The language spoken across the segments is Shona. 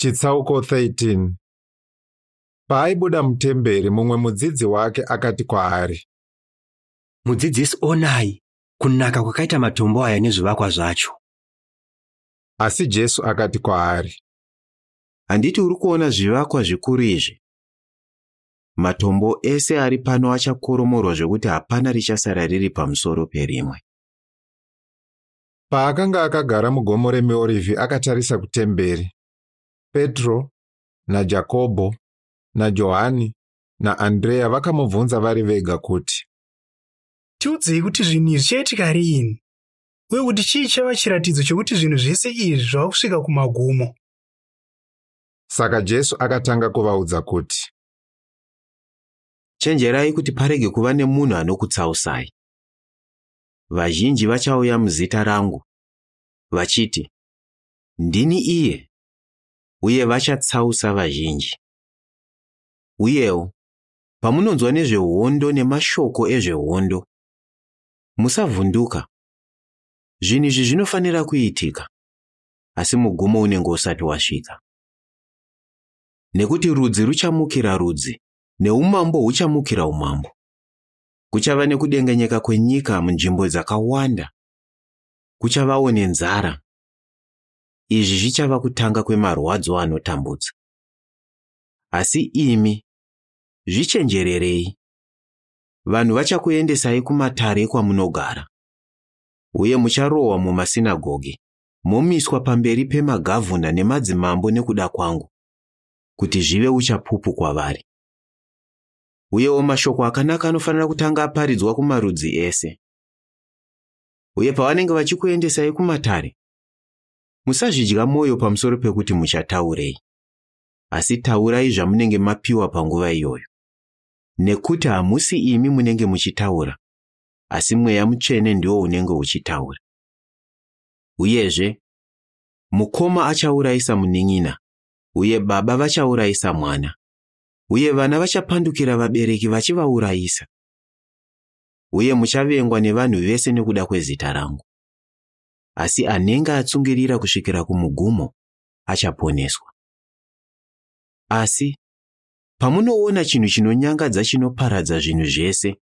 Chitsauko 13. Paaibuda mutemberi, mumwe mudzidzi wake akati kwaari, Mudzidzisi, onai kunaka kwakaita matombo aya nezvivakwa zvacho. Asi Jesu akati kwaari, Handiti uri kuona zvivakwa zvikuru izvi? Matombo ese ari pano achakoromorwa zvekuti hapana richasara riri pamusoro perimwe. Paakanga akagara mugomo reMiorivhi akatarisa kutemberi, Petro naJakobho naJohani naAndreya vakamubvunza vari vega kuti, Tiudzei kuti zvinhu izvi zvichaitika riini, uye kuti chii chava chiratidzo chekuti zvinhu zvese izvi zvava kusvika kumagumo. Saka Jesu akatanga kuvaudza kuti, Chenjerai kuti parege kuva nemunhu anokutsausai. Vazhinji vachauya muzita rangu, vachiti, Ndini iye, uye vachatsausa vazhinji. Uyewo, pamunonzwa nezvehondo nemashoko ezvehondo, musavhunduka. Zvinhu izvi zvinofanira kuitika, asi mugumo unenge usati wasvika. Nekuti rudzi ruchamukira rudzi, neumambo huchamukira umambo. Kuchava nekudengenyeka kwenyika munzvimbo dzakawanda. Kuchavawo nenzara. Izvi zvichava kutanga kwemarwadzo anotambudza. Asi imi, zvichenjererei. Vanhu vachakuendesai kumatare ekwamunogara, uye mucharohwa mumasinagoge, momiswa pamberi pemagavhuna nemadzimambo nekuda kwangu, kuti zvive uchapupu kwavari. Uyewo mashoko akanaka anofanira kutanga aparidzwa kumarudzi ese. Uye pavanenge vachikuendesai kumatare, musazvidya mwoyo pamusoro pekuti muchataurei, asi taurai zvamunenge mapiwa panguva iyoyo. Nekuti hamusi imi munenge muchitaura, asi Mweya Mutsvene ndiwo unenge uchitaura. Uyezve, mukoma achaurayisa munin'ina, uye baba vachaurayisa mwana, uye vana vachapandukira vabereki vachivaurayisa. Uye muchavengwa nevanhu vese nekuda kwezita rangu. Asi anenge atsungirira kusvikira kumugumo achaponeswa. Asi pamunoona chinhu chinonyangadza chinoparadza zvinhu zvese,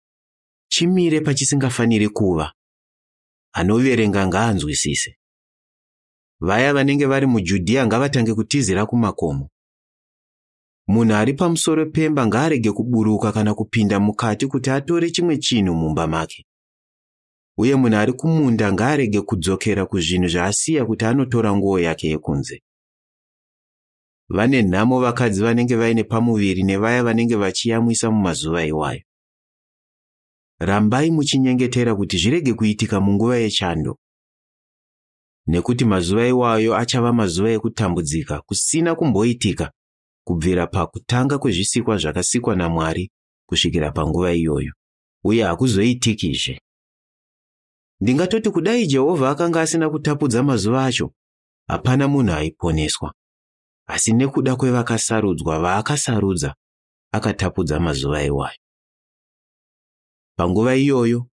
chimire pachisingafaniri kuva, anoverenga ngaanzwisise. Vaya vanenge vari muJudhiya ngavatange kutizira kumakomo. Munhu ari pamusoro pemba ngaarege kuburuka kana kupinda mukati kuti atore chimwe chinhu mumba make. Uye munhu ari kumunda ngaarege kudzokera kuzvinhu zvaasiya kuti anotora nguo yake yekunze. Vane nhamo vakadzi vanenge vaine pamuviri nevaya vanenge vachiyamwisa mumazuva iwayo. Rambai muchinyengetera kuti zvirege kuitika munguva yechando. Nekuti mazuva iwayo achava mazuva ekutambudzika kusina kumboitika kubvira pakutanga kwezvisikwa zvakasikwa naMwari kusvikira panguva iyoyo, uye hakuzoitikizve. Ndingatoti kudai Jehovha akanga asina kutapudza mazuva acho, hapana munhu aiponeswa. Asi nekuda kwevakasarudzwa vaakasarudza, akatapudza mazuva iwayo. Panguva iyoyo,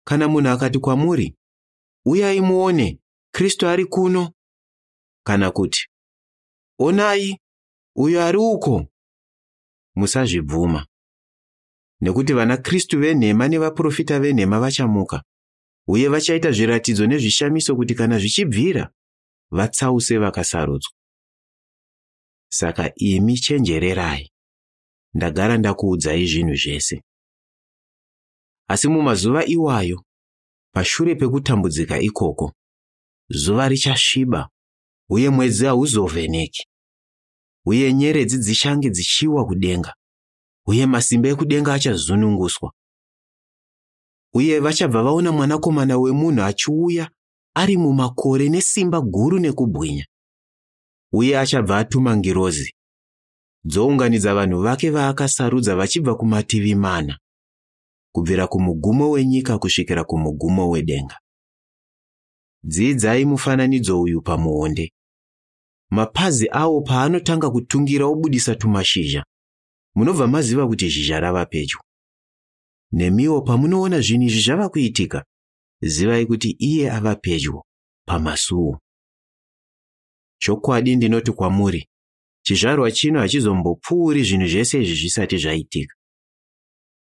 kana munhu akati kwamuri, Uyai muone, Kristu ari kuno, kana kuti, Onai, uyo ari uko, musazvibvuma. Nekuti vanaKristu venhema nevaprofita venhema vachamuka, uye vachaita zviratidzo nezvishamiso kuti kana zvichibvira, vatsause vakasarudzwa. Saka imi chenjererai, ndagara ndakuudzai zvinhu zvese. Asi mumazuva iwayo, pashure pekutambudzika ikoko, zuva richasviba uye mwedzi hauzovheneki, uye nyeredzi dzichange dzichiwa kudenga, uye masimba ekudenga achazununguswa. Uye vachabva vaona Mwanakomana wemunhu achiuya ari mumakore nesimba guru nekubwinya. Uye achabva atuma ngirozi, dzounganidza vanhu vake vaakasarudza vachibva kumativi mana, kubvira kumugumo wenyika kusvikira kumugumo wedenga. Dzidzai mufananidzo uyu pamuonde. Mapazi awo paanotanga kutungira obudisa tumashizha, munobva maziva kuti zhizha rava pedyo. Nemiwo pamunoona zvinhu izvi zvava kuitika, zivai kuti iye ava pedyo, pamasuo. Chokwadi ndinoti kwamuri, Chizvarwa chino hachizombopfuuri zvinhu zvese izvi zvisati zvaitika.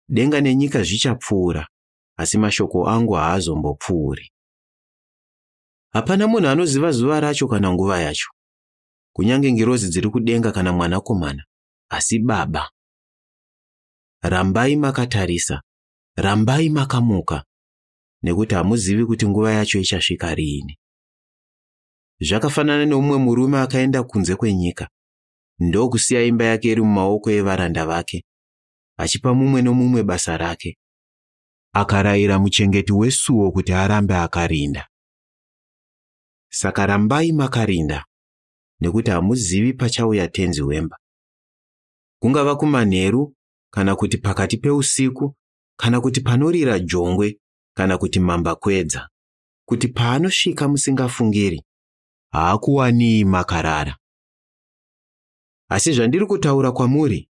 Denga nenyika zvichapfuura, asi mashoko angu haazombopfuuri. Hapana munhu anoziva zuva racho kana nguva yacho, kunyange ngirozi dziri kudenga kana mwanakomana, asi Baba. Rambai makatarisa, rambai makamuka, nekuti hamuzivi kuti nguva yacho ichasvika riini. Zvakafanana neumwe murume akaenda kunze kwenyika, ndokusiya imba yake iri mumaoko evaranda vake, achipa mumwe nomumwe basa rake. Akarayira muchengeti wesuo kuti arambe akarinda. Saka rambai makarinda, nekuti hamuzivi pachauya tenzi wemba. Kungava kumanheru, kana kuti pakati peusiku, kana kuti panorira jongwe, kana kuti mambakwedza, kuti paanosvika musingafungiri, haakuwanii makarara. Asi zvandiri kutaura kwamuri,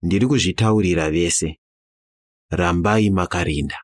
ndiri kuzvitaurira vese. Rambai makarinda.